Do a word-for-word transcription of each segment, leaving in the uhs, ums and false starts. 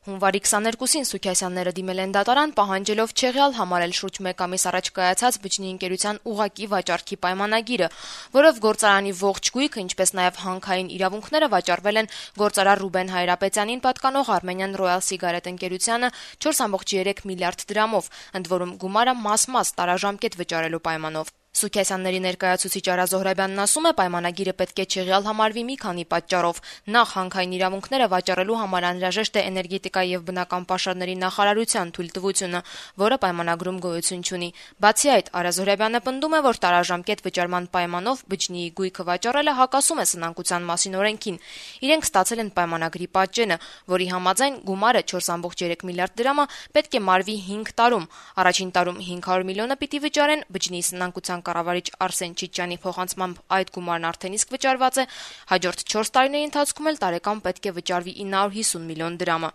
Հունվարի քսաներկուսին Սուքիասյանները դիմել են դատարան, պահանջելով չեղյալ համարել շուրջ մեկ ամիս առաջ կայացած բջջի ընկերության ուղղակի վաճառքի պայմանագիրը, որով գործարանի ողջ գույքը, ինչպես նաև հանքային իրավունքները վաճառվել են գործարար Ռուբեն Հայրապետյանին պատկանող Armenian Royal Cigarette ընկերությանը չորս կόμma երեք միլիարդ դրամով, ընդ որում գումարը մաս-մաս տարաժամկետ վճարելու պայմանով։ Սուքիասյանների ներկայացուցիչ Արա Զոհրաբյանն ասում է, պայմանագիրը պետք է չեղյալ համարվի մի քանի պատճառով։ Նախ, հանքային իրավունքները վաճառելու համար անհրաժեշտ է էներգետիկայի եւ բնական պաշարների նախարարության թույլտվությունը, որը պայմանագրում գոյություն չունի։ Բացի այդ, Արա Զոհրաբյանը պնդում է, որ տարաժամկետ վճարման պայմանով բջջի գույքը վաճառելը հակասում է սնանկության մասին օրենքին։ Իրենք ստացել են պայմանագրի պատճենը, որի համաձայն գումարը չորս կόμma երեք միլիարդ դրամը պետք է մարվի հինգ տարում։ Առաջին տարում հինգ հարյուր միլիոնը պիտի վճարեն, բջջի սնանկության կառավարիչ Արսեն Չիչյանի փոխանցմամբ այդ գումարն արդեն իսկ վճարված է, հաջորդ չորս տարիների ընթացքում էլ տարեկան պետք է վճարվի ինը հարյուր հիսուն միլիոն դրամը։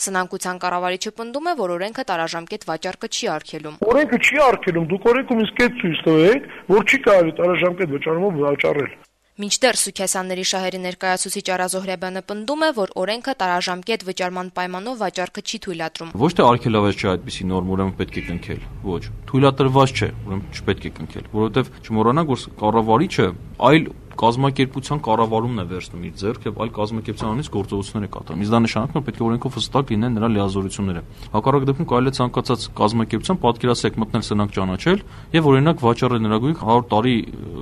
Սնանկության կառավարիչը պնդում է, որ օրենքը տարաժամկետ վաճառքը չի արգելում։ Օրենքը չի արգելում, դուք օրենքում իսկ այդ ցույց տվեք, որ չի կարելի տարաժամկետ վճարումով վաճառել։ Մինչդեռ Սուքիասյանների շահերի ներկայացուցիչ Արա Զոհրաբյանը պնդում է, որ օրենքը տարաժամկետ վճարման պայմանով վաճառքը չի թույլատրում։ Ոչ թե արգելավեզ չէ այդպիսի նորմ, ուրեմն պետք է կնքել։ Ոչ, թույլատրված չէ, ուրեմն չպետք է կնքել, որովհետև չմոռանանք, որ կառավարիչը այլ կազմակերպության կառավարումն է վերցնում իր ձեռք եւ այլ կազմակերպության անունից գործողություններ է կատարում։ Իսկ դա նշանակում է պետք է օրենքով հստակ լինեն նրա լիազորությունները։ Հակառակ դեպքում կարելի է ցանկացած կազմակերպության պատկերասրահ մտնել սնանկ ճանաչել եւ օրինակ վաճառել նրա գույք հարյուր տարի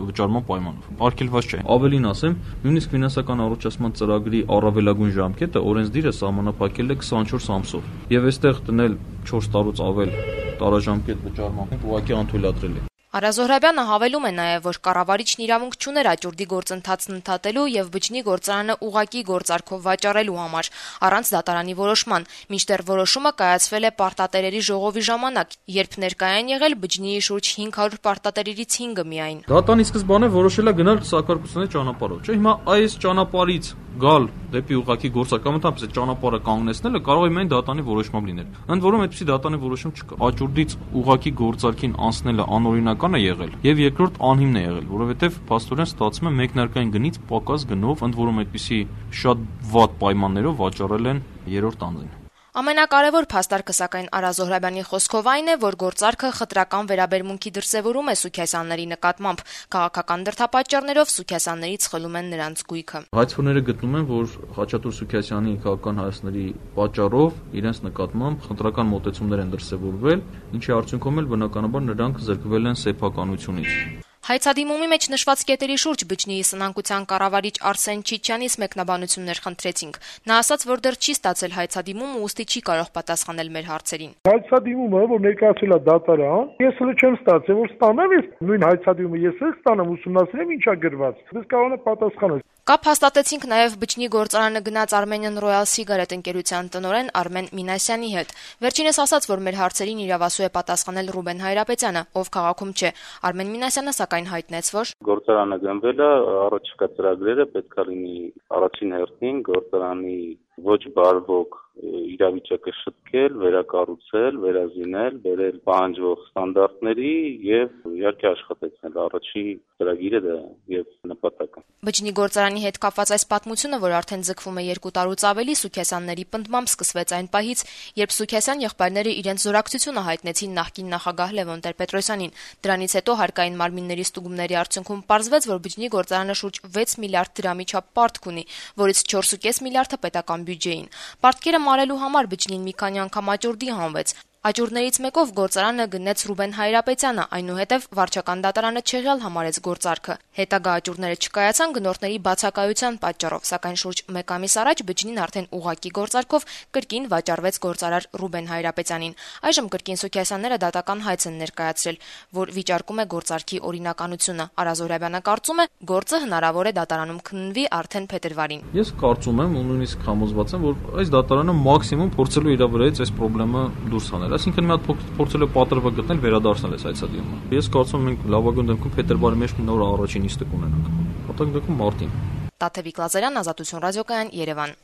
վճարման պայմանով։ Արգելված չէ։ Ավելին ասեմ, նույնիսկ ֆինանսական առողջացման ծրագրի առավելագույն ժամկետը օրենսդիրը սահմանափակել է քսանչորս ամսով։ Եվ այստեղ տնել չորս տարուց ավել տարաժամկետ վճարման ուղղակի անթույլատրել է։ Արա Զոհրաբյանը հավելում է նաև, որ կառավարիչն իրավունք չուներ աճուրդի գործընթացն ընդհատելու եւ բջջի գործարանը ուղղակի գործարքով վաճառելու համար, առանց դատարանի որոշման, մինչդեռ որոշումը կայացվել է պարտատերերի ժողովի ժամանակ, երբ ներկայ են եղել բջջի շուրջ հինգ հարյուր պարտատերերից հինգը միայն։ Դատարանի սկզբանե որոշել է գնալ սակարկությունների ճանապարհով, չէ՞։ Հիմա այս ճանապարհից գալ դեպի ուղղակի գործարք կամ ընդհանրապես այդ ճանապարհը կանգնեցնելը կարող է միայն դատարանի որոշմամբ լինել։ Ընդ որում այդպիսի դատարանի որոշում չկա։ Աճուրդից ուղղակի գործարքին անցնելը անօրինակ է եղել եւ երկրորդ անհիմն է եղել, որովհետեւ փաստորեն ստացվում է մեկնարկային գնից պակաս գնով, ընդ որում այդպիսի շատ վատ պայմաններով վաճառել են երրորդ անձին։ Ամենակարևոր փաստարկը սակայն Արա Զոհրաբյանի խոսքով այն է, որ գործարքը խտրական վերաբերմունքի դրսևորում է Սուքիասյանների նկատմամբ, քաղաքական դրդապատճառներով Սուքիասյաններից խլում են նրանց գույքը։ Հայցքորները գտնում են, որ Խաչատուր Սուքիասյանի քաղաքական հայացքների պատճառով իրենց նկատմամբ խտրական մոտեցումներ են դրսևորվել, ինչի արդյունքում էլ բնականաբար նրանք զրկվել են սեփականությունից։ Հայցադիմումի մեջ նշված կետերի շուրջ բջջի սնանկության կառավարիչ Արսեն Չիչյանից մեկնաբանություններ խնդրեցինք։ Նա ասաց, որ դեռ չի ստացել հայցադիմումը, ուստի չի կարող պատասխանել մեր հարցերին։ Հայցադիմումը, որ ներկայացել է դատարան, ես հələ չեմ ստացել, որ ստանամ, ես նույն հայցադիմումը ես էլ ստանամ, ուսումնասիրեմ ինչա գրված։ Դες կարող է պատասխանել։ Կապ հաստատեցինք նաև բջջի գործարանը գնաց Armenian Royal Cigarette ընկերության տնօրեն Արմեն Մինասյանի հետ։ Վերջինս ասաց, որ մեր հարցերին իրավասու է պատասխանել Ռուբեն Հայրապետյանը, ով քաղաքում չէ։ Արմեն Մինասյանը սակայն հայտնեց, որ գործարանը գնվել է, առաջիկա ծրագրերը պետք է լինի առաջին հերթին գործարանի ոչ բարվոք իրավիճակը շտկել, վերակառուցել, վերազինել, բերել պահանջվող ստանդարտների եւ իհարկե աշխատեցնել առաջի ծրագիրը դա եւ նպատակը։ Բջջի գործարանի հետ կապված այս պատմությունը, որ արդեն ձգվում է երկու տարուց ավելի, Սուքիասյանների պնդմամբ սկսվեց այն պահից, երբ Սուքիասյան եղբայրները իրենց զորակցությունը հայտնեցին նախկին նախագահ Լևոն Տեր-Պետրոսյանին։ Դրանից հետո հարկային մարմինների ստուգումների արդյունքում պարզվեց, որ բջջի գործարանը շուրջ վեց միլիարդ դրամի չափ պարտք ունի, որից չորս կόμma պենս միլիարդը պետական բյուջեին։ Պարտքերը մարելու համար բջջին մի քանի անգամ աճուրդի հանվեց։ Աճուրդներից մեկով գործարանը գնեց Ռուբեն Հայրապետյանը, այնուհետև վարչական դատարանը չեղյալ համարեց գործարքը։ Հետագա աճուրդները չկայացան գնորդների բացակայության պատճառով, սակայն շուրջ մեկ ամիս առաջ բջջին արդեն ուղղակի գործարքով կրկին վաճառվեց գործարար Ռուբեն Հայրապետյանին։ Այժմ կրկին Սուքիասյանները դատական հայց են ներկայացրել, որ վիճարկում է գործարքի օրինականությունը։ Արա Զոհրաբյանը կարծում է, գործը հնարավոր է դատարանում քննվի արդեն փետրվարին։ Ես կարծում եմ ու նույնիսկ համոզված եմ, որ այս դատարանը մաքսիմում փորձելու իր վրայից այս խնդրը դուրս հանել։ Այսինքն մի հատ փորձել է պատրվակ գտնել վերադարձնել այս հայցադիմումը։ Ես կարծում եմ մենք լավագույն դեպքում փետրվարի մեջ նոր առաջին նիստը կունենանք։ Հատուկ դեպքում մարտին։ Տաթևիկ Լազարյան, Ազատություն ռադիոկայան, Երևան։